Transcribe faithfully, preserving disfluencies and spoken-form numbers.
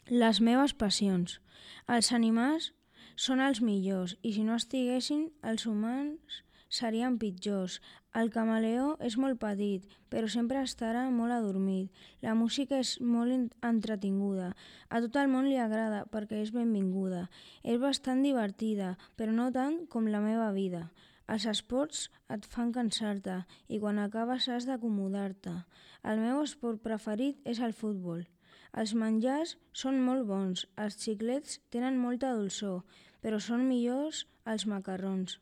Les meves passions. Els animals són els millors i si no estiguessin, els humans serien pitjors. El camaleó és molt petit, però sempre estarà molt adormit. La música és molt entretinguda. A tot el món li agrada perquè és benvinguda. És bastant divertida, però no tant com la meva vida. Els esports et fan cansar-te i quan acabes has d'acomodar-te. El meu esport preferit és el futbol. Els menjars són molt bons, els xiclets tenen molta dolçor, però són millors els macarrons.